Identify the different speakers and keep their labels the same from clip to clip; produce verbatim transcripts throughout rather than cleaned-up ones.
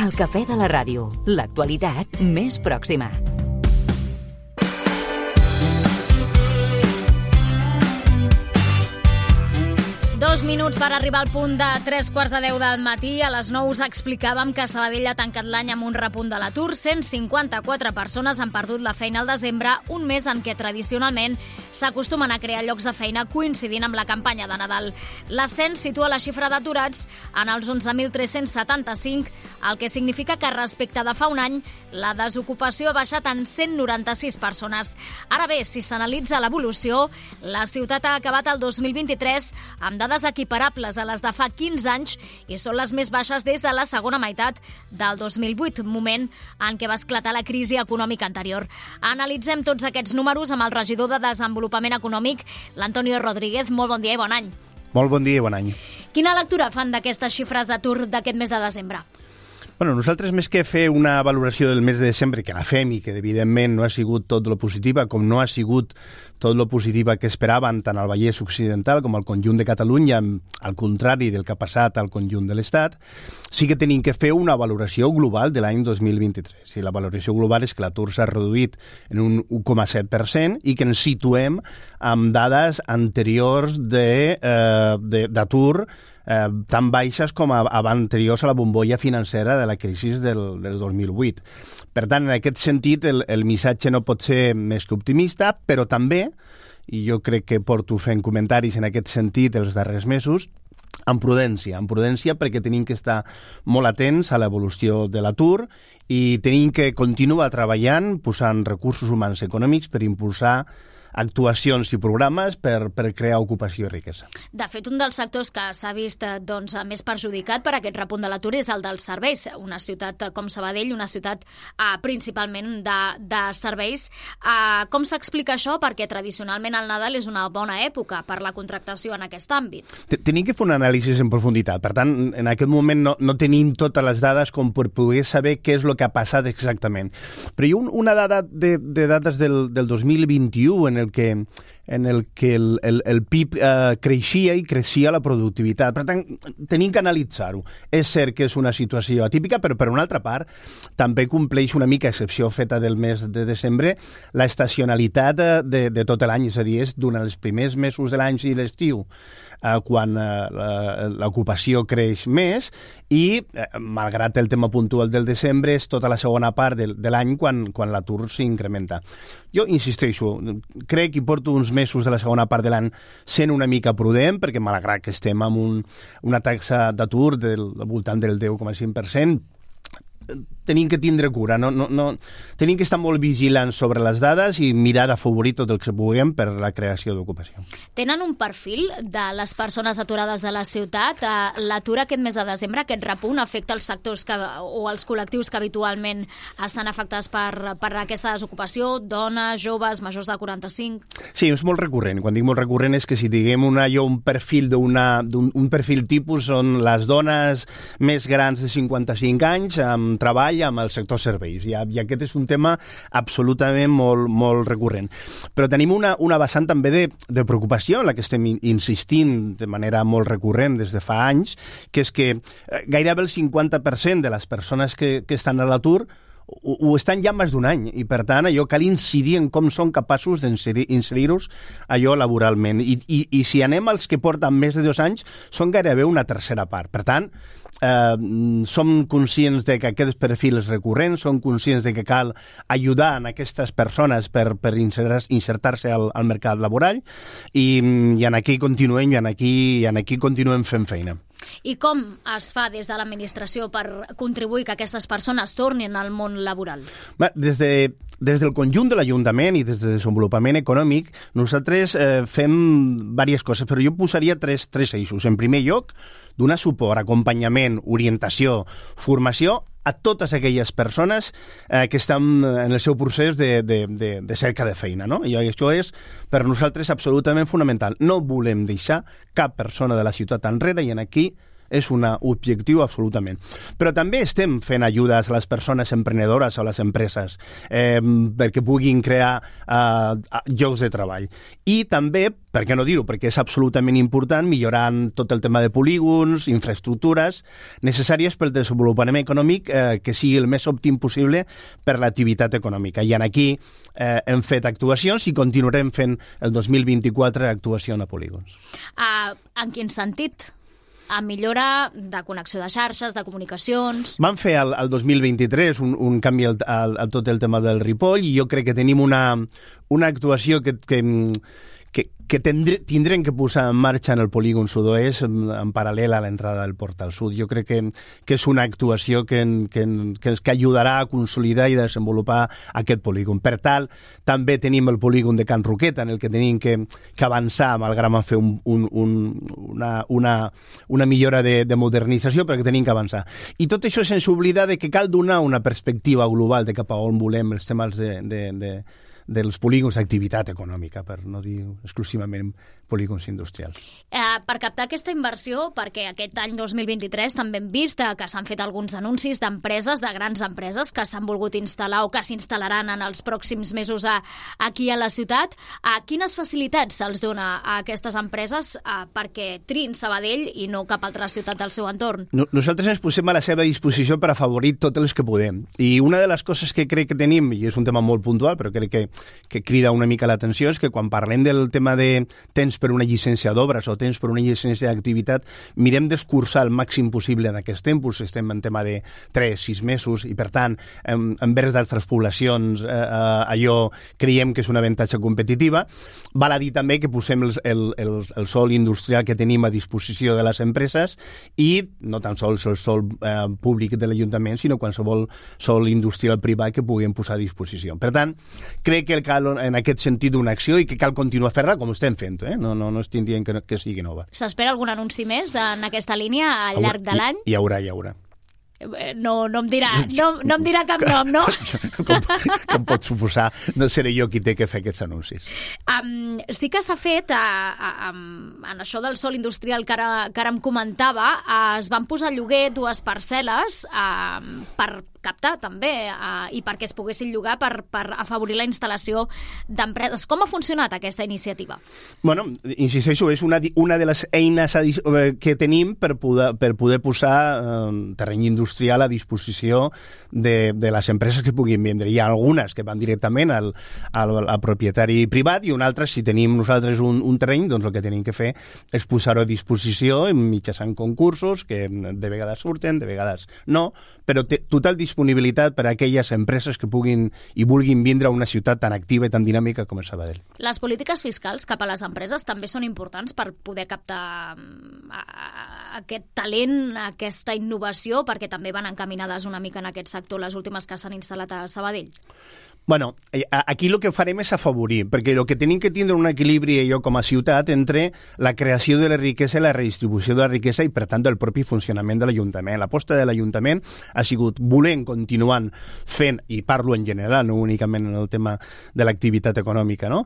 Speaker 1: El cafè de la ràdio, l'actualitat més pròxima.
Speaker 2: Dos minuts per arribar al punt de tres quarts de deu del matí. A les nou us explicàvem que Sabadell ha tancat l'any amb un repunt de l'atur. cent cinquanta-quatre persones han perdut la feina al desembre, un mes en què tradicionalment s'acostumen a crear llocs de feina coincidint amb la campanya de Nadal. L'ascens situa la xifra d'aturats en els onze mil tres-cents setanta-cinc, el que significa que respecte de fa un any la desocupació ha baixat en cent noranta-sis persones. Ara bé, si s'analitza l'evolució, la ciutat ha acabat el dos mil vint-i-tres amb dades equiparables a les de fa quinze anys i són les més baixes des de la segona meitat del dos mil vuit, moment en què va esclatar la crisi econòmica anterior. Analitzem tots aquests números amb el regidor de Desenvolupament Econòmic, l'Antonio Rodríguez. Molt bon dia i bon any.
Speaker 3: Molt bon dia i bon any.
Speaker 2: Quina lectura fan d'aquestes xifres d'atur d'aquest mes de desembre?
Speaker 3: Bueno, nosaltres, més que fer una valoració del mes de desembre, que la fem i que evidentment no ha sigut tot lo positiva, com no ha sigut tot lo positiva que esperaven tant al Vallès Occidental com al conjunt de Catalunya, al contrari del que ha passat al conjunt de l'Estat, sí que tenim que fer una valoració global de l'any dos mil vint-i-tres. I la valoració global és que l'atur s'ha reduït en un un coma set per cent i que ens situem amb dades anteriors de, eh, de, d'atur Eh, tan baixes com a, a anteriors a la bombolla financera de la crisi del, del dos mil vuit. Per tant, en aquest sentit, el, el missatge no pot ser més que optimista, però també, i jo crec que porto fent comentaris en aquest sentit els darrers mesos, amb prudència, amb prudència perquè tenim que estar molt atents a l'evolució de l'atur i tenim que continuar treballant, posant recursos humans i econòmics per impulsar actuacions i programes per, per crear ocupació i riquesa.
Speaker 2: De fet, un dels sectors que s'ha vist doncs, més perjudicat per aquest repunt de l'atur és el dels serveis. Una ciutat com Sabadell, una ciutat eh, principalment de, de serveis. Eh, com s'explica això? Perquè tradicionalment el Nadal és una bona època per la contractació en aquest àmbit.
Speaker 3: Tenim que fer un anàlisi en profunditat. Per tant, en aquest moment no, no tenim totes les dades com per poder saber què és el que ha passat exactament. Però hi ha un, una dada de, de dades del, del dos mil vint-i-u en el que, en el, que el, el, el P I B eh, creixia i creixia la productivitat. Per tant, tenim que analitzar-ho. És cert que és una situació atípica, però per una altra part també compleix una mica, excepció feta del mes de desembre, la estacionalitat de, de, de tot l'any, és a dir, és durant els primers mesos de l'any i l'estiu, eh, quan eh, l'ocupació creix més i, eh, malgrat el tema puntual del desembre, és tota la segona part de, de l'any quan, quan l'atur s'incrementa. Jo insisteixo, crec que porto uns mesos de la segona part de l'any sent una mica prudent, perquè malgrat que estem amb un, una taxa d'atur del voltant del deu coma cinc per cent, tenim que tindre cura, no, no, no, tenim que estar molt vigilants sobre les dades i mirar d'afavorir tot el que puguem per la creació d'ocupació.
Speaker 2: Tenen un perfil de les persones aturades de la ciutat? L'atur aquest mes de desembre, aquest repunt, afecta els sectors que, o els col·lectius que habitualment estan afectats per, per aquesta desocupació? Dones, joves, majors de quaranta-cinc?
Speaker 3: Sí, és molt recurrent. Quan dic molt recurrent és que si diguem una, jo un perfil d'una, d'un un perfil tipus són les dones més grans de cinquanta-cinc anys amb treball amb el sector serveis, i, i aquest és un tema absolutament molt, molt recurrent. Però tenim una, una vessant també de, de preocupació en la que estem insistint de manera molt recurrent des de fa anys, que és que gairebé el cinquanta per cent de les persones que, que estan a l'atur ho, ho estan ja més d'un any, i per tant allò cal incidir en com són capaços d'inserir-los allò laboralment. I, i, i si anem als que porten més de dos anys, són gairebé una tercera part. Per tant, Eh, som conscients de que aquests perfils recurrents, som conscients de que cal ajudar en aquestes persones per, per insertar-se al, al mercat laboral i, i en aquí continuem i en aquí, i en aquí continuem fent feina.
Speaker 2: I com es fa des de l'administració per contribuir que aquestes persones tornin al món laboral?
Speaker 3: Bé, des, de, des del conjunt de l'Ajuntament i des de Desenvolupament Econòmic nosaltres eh, fem diverses coses, però jo posaria tres, tres eixos. En primer lloc, donar suport, acompanyament, orientació, formació a totes aquelles persones eh, que estan en el seu procés de, de, de, de cerca de feina, no? I això és per nosaltres absolutament fonamental. No volem deixar cap persona de la ciutat enrere i en aquí és un objectiu absolutament. Però també estem fent ajudes a les persones emprenedores o a les empreses eh, perquè puguin crear eh, llocs de treball. I també, per què no dir-ho, perquè és absolutament important, millorant tot el tema de polígons, infraestructures necessàries pel desenvolupament econòmic eh, que sigui el més òptim possible per l'activitat econòmica. I en aquí eh, hem fet actuacions i continuarem fent el dos mil vint-i-quatre actuació a polígons.
Speaker 2: Uh, en quin sentit? A millora de connexió de xarxes, de comunicacions...
Speaker 3: Vam fer el, el dos mil vint-i-tres un, un canvi al, al, a tot el tema del Ripoll i jo crec que tenim una, una actuació que... que que, que tindre, tindrem que posar en marxa en el polígon sud-oest en, en paral·lel a l'entrada del Portal Sud. Jo crec que, que és una actuació que, que, que, que ajudarà a consolidar i desenvolupar aquest polígon. Per tal, també tenim el polígon de Can Roqueta, en el que tenim que, que avançar, malgrat fer un, un, un, una, una, una millora de, de modernització, però que tenim que avançar. I tot això sense oblidar de que cal donar una perspectiva global de cap a on volem els temes de, de, de dels polígons d'activitat econòmica, per no dir exclusivament polígons industrials.
Speaker 2: Eh, per captar aquesta inversió, perquè aquest any dos mil vint-i-tres també hem vist que s'han fet alguns anuncis d'empreses, de grans empreses, que s'han volgut instal·lar o que s'instal·laran en els pròxims mesos a, aquí a la ciutat. A quines facilitats se'ls dona a aquestes empreses a, perquè triïn Sabadell i no cap altra ciutat del seu entorn?
Speaker 3: No, nosaltres ens posem a la seva disposició per afavorir tots els que podem. I una de les coses que crec que tenim, i és un tema molt puntual, però crec que que crida una mica l'atenció és que quan parlem del tema de temps per una llicència d'obres o temps per una llicència d'activitat, mirem d'escurçar el màxim possible en aquests tempos. Estem en tema de tres a sis mesos i, per tant, en, envers d'altres poblacions, eh, eh, allò creiem que és una avantatge competitiva. Val a dir també que posem el, el, el, el sòl industrial que tenim a disposició de les empreses i no tan sols el sòl eh, públic de l'Ajuntament, sinó qualsevol sòl industrial privat que puguem posar a disposició. Per tant, crec que cal en aquest sentit una acció i que cal continuar a fer-la com estem fent, eh? no, no, no estic dient que, que sigui nova.
Speaker 2: S'espera algun anunci més en aquesta línia al llarg de l'any?
Speaker 3: Hi, hi haurà, hi haurà.
Speaker 2: No, no em dirà, no, no em dirà cap nom, no?
Speaker 3: com, com pot suposar, no seré jo qui té que fer aquests anuncis.
Speaker 2: Um, sí que s'ha fet, a, a, a, en això del sòl industrial que ara, que ara em comentava, uh, es van posar a lloguer dues parcel·les uh, per captar també uh, i perquè es poguessin llogar per, per afavorir la instal·lació d'empreses. Com ha funcionat aquesta iniciativa?
Speaker 3: Bueno, insisteixo, és una, una de les eines que tenim per poder, per poder posar uh, terreny industrial a disposició de, de les empreses que puguin vendre. Hi ha algunes que van directament al, al, al propietari privat i un altre, si tenim nosaltres un, un terreny, doncs el que tenim que fer és posar-ho a disposició mitjançant concursos que de vegades surten, de vegades no, però té total disponibilitat per a aquelles empreses que puguin i vulguin vindre a una ciutat tan activa i tan dinàmica com és Sabadell.
Speaker 2: Les polítiques fiscals cap a les empreses també són importants per poder captar aquest talent, aquesta innovació, perquè també van encaminades una mica en aquest sector les últimes que s'han instal·lat a Sabadell.
Speaker 3: Bueno, aquí el que farem és afavorir, perquè el que tenim que tindre un equilibri jo com a ciutat entre la creació de la riquesa i la redistribució de la riquesa i, per tant, el propi funcionament de l'Ajuntament. L'aposta de l'Ajuntament ha sigut volent continuant fent, i parlo en general, no únicament en el tema de l'activitat econòmica, no?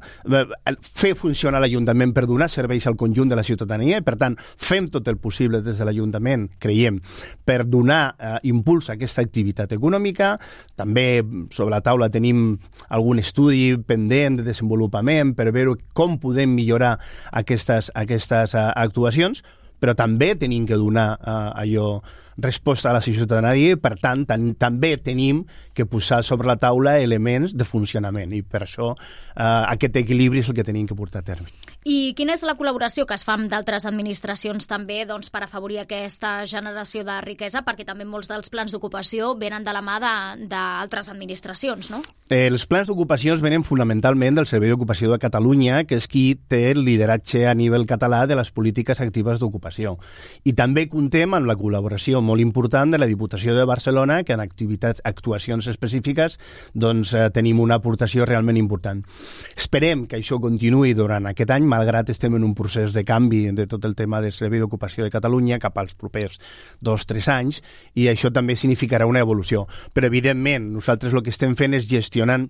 Speaker 3: Fer funcionar l'Ajuntament per donar serveis al conjunt de la ciutadania i, per tant, fem tot el possible des de l'Ajuntament, creiem, per donar eh, impuls a aquesta activitat econòmica. També sobre la taula tenim algun estudi pendent de desenvolupament per veure com podem millorar aquestes, aquestes uh, actuacions, però també tenim que donar uh, allò resposta a la ciutadania i, per tant, tan, també tenim que posar sobre la taula elements de funcionament i per això eh, aquest equilibri és el que tenim que portar a terme.
Speaker 2: I quina és la col·laboració que es fa amb d'altres administracions també doncs, per afavorir aquesta generació de riquesa? Perquè també molts dels plans d'ocupació venen de la mà d'altres administracions, no?
Speaker 3: Eh, els plans d'ocupació venen fonamentalment del Servei d'Ocupació de Catalunya, que és qui té el lideratge a nivell català de les polítiques actives d'ocupació. I també comptem amb la col·laboració molt important de la Diputació de Barcelona, que en activitats, actuacions específiques doncs, eh, tenim una aportació realment important. Esperem que això continuï durant aquest any, malgrat estem en un procés de canvi de tot el tema del Servei d'Ocupació de Catalunya cap als propers dos o tres anys, i això també significarà una evolució. Però, evidentment, nosaltres el que estem fent és gestionant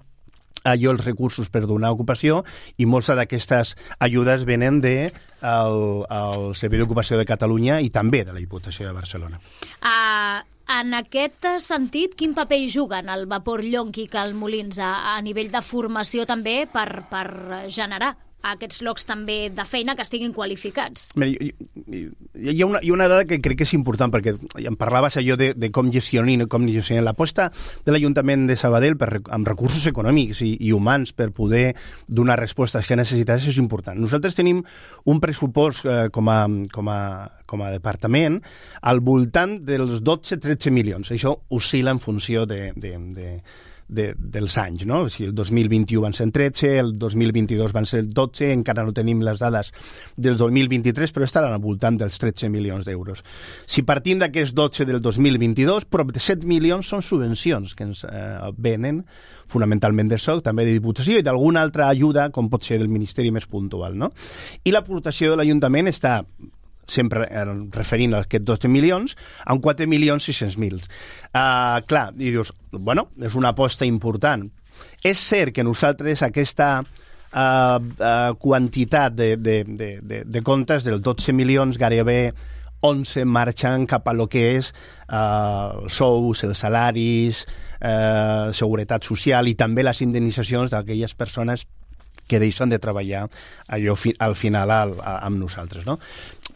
Speaker 3: allò els recursos per donar ocupació, i moltes d'aquestes ajudes venen del de Servei d'Ocupació de Catalunya i també de la Diputació de Barcelona.
Speaker 2: Uh, en aquest sentit, quin paper hi juguen el Vapor Llonch i Cal Molins a, a nivell de formació també per, per generar aquests llocs també de feina que estiguin qualificats?
Speaker 3: Mira, hi ha una, hi ha una dada que crec que és important, perquè em parlaves allò de, de com gestionar com gestionar l'aposta de l'Ajuntament de Sabadell per, amb recursos econòmics i, i humans per poder donar respostes que necessitats és important. Nosaltres tenim un pressupost eh, com, a, com, a, com a departament al voltant dels dotze a tretze milions. Això oscil·la en funció de... de, de De, dels anys, no? O sigui, el dos mil vint-i-u van ser tretze, el dos mil vint-i-dos van ser dotze, encara no tenim les dades del dos mil vint-i-tres, però estaran al voltant dels tretze milions d'euros. Si partim d'aquests dotze del dos mil vint-i-dos, prop de set milions són subvencions que ens eh, venen fonamentalment del S O C, també de Diputació i d'alguna altra ajuda, com pot ser del Ministeri més puntual, no? I l'aportació de l'Ajuntament està sempre referint a aquests dotze milions, amb quatre milions sis-cents mil. Uh, clar, i dius, bueno, és una aposta important. És cert que nosaltres aquesta uh, uh, quantitat de, de, de, de, de comptes dels dotze milions gairebé onze marxen cap a lo que és uh, els sous, els salaris, uh, seguretat social i també les indemnitzacions d'aquelles persones que deixen de treballar allò fi, al final al, a, amb nosaltres, no?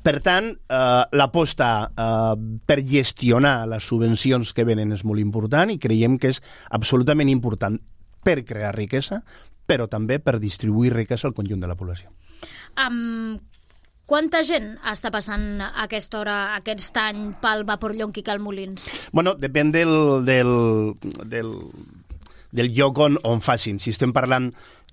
Speaker 3: Per tant, eh, l'aposta eh, per gestionar les subvencions que venen és molt important i creiem que és absolutament important per crear riquesa, però també per distribuir riquesa al conjunt de la població.
Speaker 2: Um, quanta gent està passant a aquesta hora, aquest any, pel Vapor Llonch i Cal Molins? Bueno,
Speaker 3: depèn del, del, del, del lloc on, on facin. Si estem parlant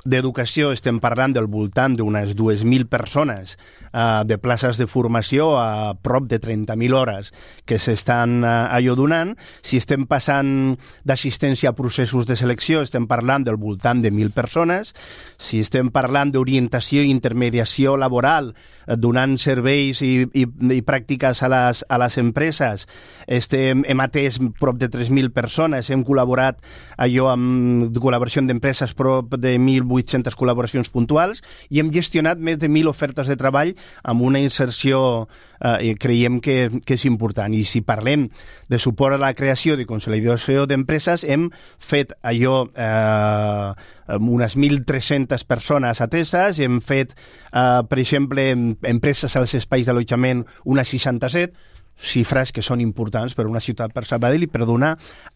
Speaker 3: d'educació, estem parlant del voltant d'unes dues mil persones, eh, de places de formació a prop de trenta mil hores que s'estan eh, allò donant. Si estem passant d'assistència a processos de selecció, estem parlant del voltant de mil persones. Si estem parlant d'orientació i intermediació laboral, eh, donant serveis i, i, i pràctiques a les, a les empreses, estem, hem atès prop de tres mil persones, hem col·laborat allò amb col·laboració d'empreses prop de mil vuit-centes col·laboracions puntuals i hem gestionat més de mil ofertes de treball amb una inserció eh, creiem que, que és important. I si parlem de suport a la creació de consolidació d'empreses, hem fet allò eh, amb unes mil tres-centes persones ateses, hem fet, eh, per exemple, empreses als espais d'allotjament unes seixanta-set, xifres que són importants per una ciutat per Sabadell i per donar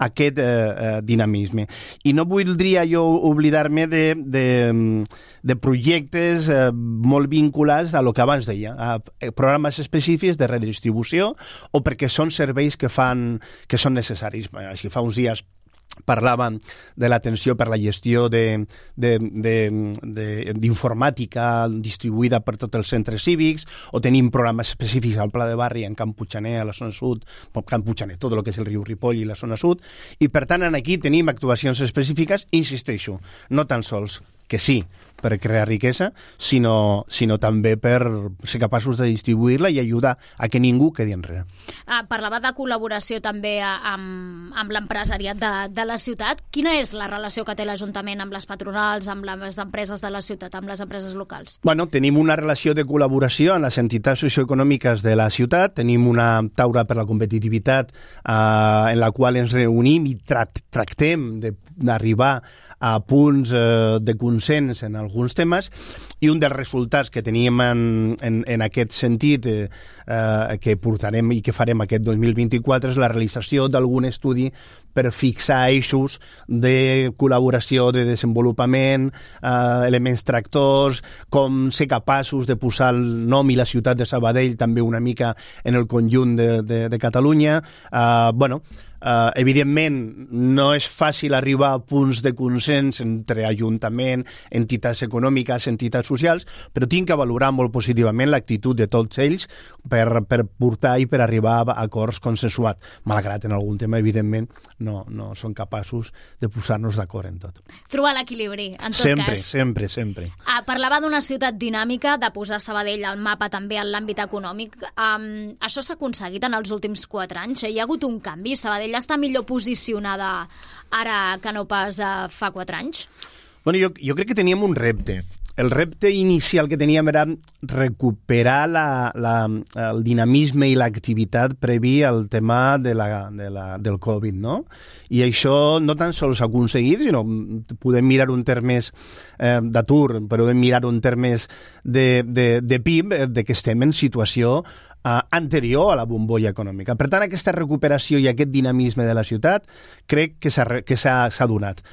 Speaker 3: aquest eh, eh, dinamisme. I no voldria jo oblidar-me de, de, de projectes eh, molt vinculats a lo que abans deia, a programes específics de redistribució o perquè són serveis que fan que són necessaris. Així fa uns dies parlàvem de l'atenció per la gestió d'informàtica distribuïda per tots els centres cívics, o tenim programes específics al Pla de Barri en Camp Puigcaner, a la zona sud, Camp Puigcaner, tot el que és el riu Ripoll i la zona sud, i per tant aquí tenim actuacions específiques, insisteixo, no tan sols que sí, per crear riquesa, sinó, sinó també per ser capaços de distribuir-la i ajudar a que ningú quedi enrere.
Speaker 2: Ah, parlava de col·laboració també amb, amb l'empresariat de, de la ciutat. Quina és la relació que té l'Ajuntament amb les patronals, amb les empreses de la ciutat, amb les empreses locals?
Speaker 3: Bueno, tenim una relació de col·laboració amb les entitats socioeconòmiques de la ciutat, tenim una taula per la competitivitat eh, en la qual ens reunim i tra tractem d'arribar a punts eh, de consens en alguns temes, i un dels resultats que teníem en, en, en aquest sentit eh, eh, que portarem i que farem aquest dos mil vint-i-quatre és la realització d'algun estudi per fixar eixos de col·laboració, de desenvolupament, eh, elements tractors, com ser capaços de posar el nom i la ciutat de Sabadell també una mica en el conjunt de, de, de Catalunya. Eh, bueno, Uh, evidentment, no és fàcil arribar a punts de consens entre Ajuntament, entitats econòmiques, entitats socials, però tinc que valorar molt positivament l'actitud de tots ells per, per portar i per arribar a acords consensuats, malgrat en algun tema, evidentment, no, no són capaços de posar-nos d'acord en tot.
Speaker 2: Trobar l'equilibri, en tot
Speaker 3: sempre,
Speaker 2: cas.
Speaker 3: Sempre, sempre, sempre.
Speaker 2: Ah, parlava d'una ciutat dinàmica, de posar Sabadell al mapa també en l'àmbit econòmic. Um, això s'ha aconseguit en els últims quatre anys? Hi ha hagut un canvi? Sabadell està millor posicionada ara que no pas uh, fa quatre anys?
Speaker 3: Bueno, jo, jo crec que teníem un repte. El repte inicial que teníem era recuperar la, la, el dinamisme i l'activitat previ al tema de la, de la, del Covid, no? I això no tan sols s'ha aconseguit, sinó podem mirar un termes eh, d'atur, podem mirar un termes de, de, de P I B, de que estem en situació eh, anterior a la bombolla econòmica. Per tant, aquesta recuperació i aquest dinamisme de la ciutat crec que s'ha, que s'ha, s'ha donat.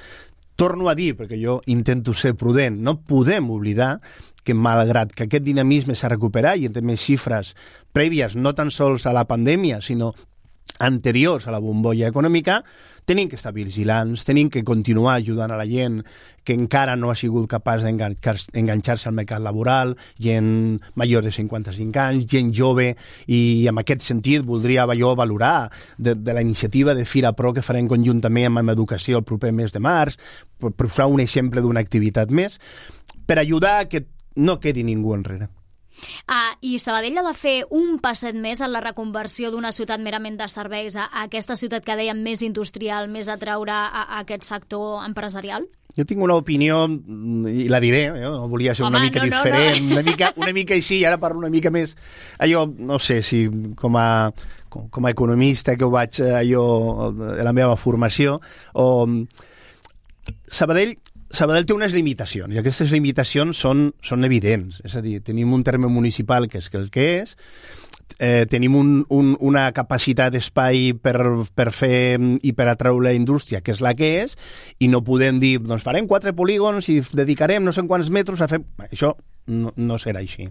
Speaker 3: Torno a dir, perquè jo intento ser prudent, no podem oblidar que malgrat que aquest dinamisme s'ha recuperat i en temes xifres prèvies no tan sols a la pandèmia, sinó anteriors a la bombolla econòmica, tenim que estar vigilants, tenim que continuar ajudant a la gent que encara no ha sigut capaç d'enganxar-se al mercat laboral, gent major de cinquanta-cinc anys, gent jove, i en aquest sentit voldria jo valorar de, de la iniciativa de Fira Pro que farem conjuntament amb Educació el proper mes de març, per posar un exemple d'una activitat més, per ajudar a que no quedi ningú enrere.
Speaker 2: Ah, I Sabadell ha de fer un passet més en la reconversió d'una ciutat merament de serveis a, a aquesta ciutat que dèiem més industrial, més atraure a, a aquest sector empresarial?
Speaker 3: Jo tinc una opinió, i la diré, eh? No volia ser Home, una mica no, diferent, no, no. Una, mica, una mica així, i ara parlo una mica més. Allò, no sé si com a, com, com a economista que ho vaig allò, de la meva formació, o Sabadell Sabadell té unes limitacions, i aquestes limitacions són, són evidents. És a dir, tenim un terme municipal que és el que és, eh, tenim un, un, una capacitat d'espai per, per fer i per atraure la indústria, que és la que és, i no podem dir, doncs farem quatre polígons i dedicarem no sé quants metres a fer... Això no, no serà així.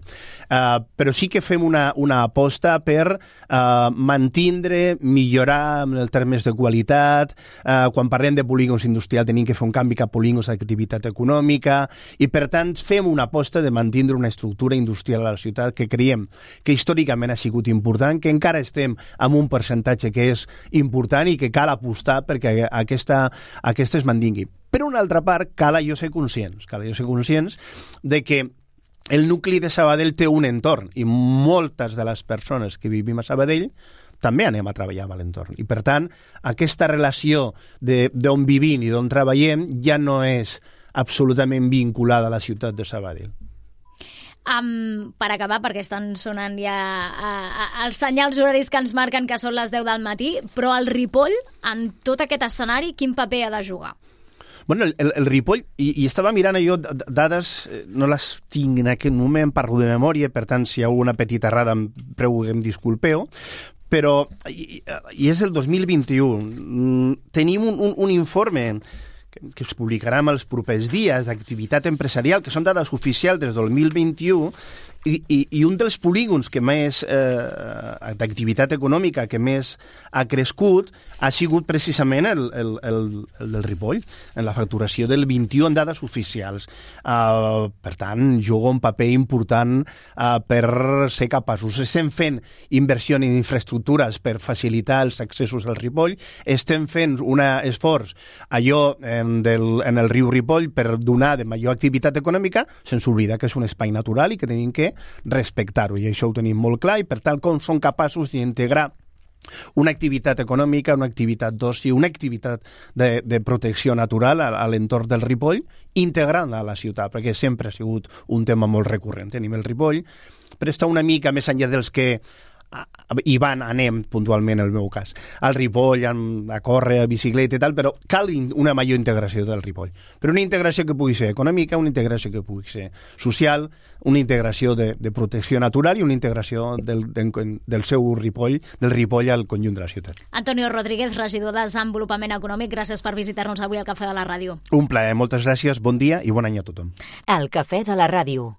Speaker 3: Uh, però sí que fem una, una aposta per uh, mantindre, millorar en els termes de qualitat. Uh, quan parlem de polígons industrials tenim que fer un canvi cap a polígons d'activitat econòmica, i per tant fem una aposta de mantindre una estructura industrial a la ciutat que creiem que històricament ha sigut important, que encara estem amb un percentatge que és important i que cal apostar perquè aquesta, aquesta es mantingui. Per una altra part, cal jo ser conscients, cal jo ser conscients de que el nucli de Sabadell té un entorn, i moltes de les persones que vivim a Sabadell també anem a treballar a l'entorn. I, per tant, aquesta relació d'on vivim i d'on treballem ja no és absolutament vinculada a la ciutat de Sabadell.
Speaker 2: Um, per acabar, perquè estan sonant ja uh, uh, els senyals horaris que ens marquen que són les deu del matí, però el Ripoll, en tot aquest escenari, quin paper ha de jugar?
Speaker 3: Bueno, el, el, el Ripoll, i, i estava mirant jo dades, no les tinc en aquest moment, parlo de memòria, per tant, si hi ha alguna petita errada em prego que em disculpeu, però, i, i és el dos mil vint-i-u, tenim un, un, un informe que, que es publicarà en els propers dies d'activitat empresarial, que són dades oficials des del dos mil vint-i-u, I, i, i un dels polígons que més eh, d'activitat econòmica que més ha crescut ha sigut precisament el, el, el, el del Ripoll, en la facturació del vint-i-u en dades oficials. Uh, per tant, juga un paper important uh, per ser capaços. Estem fent inversió en infraestructures per facilitar els accessos al Ripoll, estem fent un esforç allò en, del, en el riu Ripoll per donar de major activitat econòmica, sense oblidar que és un espai natural i que tenim que respectar-ho, i això ho tenim molt clar, i per tal com són capaços d'integrar una activitat econòmica, una activitat d'oci, una activitat de, de protecció natural a, a l'entorn del Ripoll, integrant-la a la ciutat, perquè sempre ha sigut un tema molt recurrent. Tenim el Ripoll, però està una mica més enllà dels que i van, anem puntualment en el meu cas al Ripoll, a córrer, a bicicleta i tal, però cal una major integració del Ripoll, però una integració que pugui ser econòmica, una integració que pugui ser social, una integració de, de protecció natural i una integració del, del, del seu Ripoll, del Ripoll al conjunt de la ciutat.
Speaker 2: Antonio Rodríguez, regidor de Desenvolupament Econòmic, gràcies per visitar-nos avui al Cafè de la Ràdio.
Speaker 3: Un plaer, moltes gràcies, bon dia i bon any a tothom.
Speaker 1: El Cafè de la Ràdio.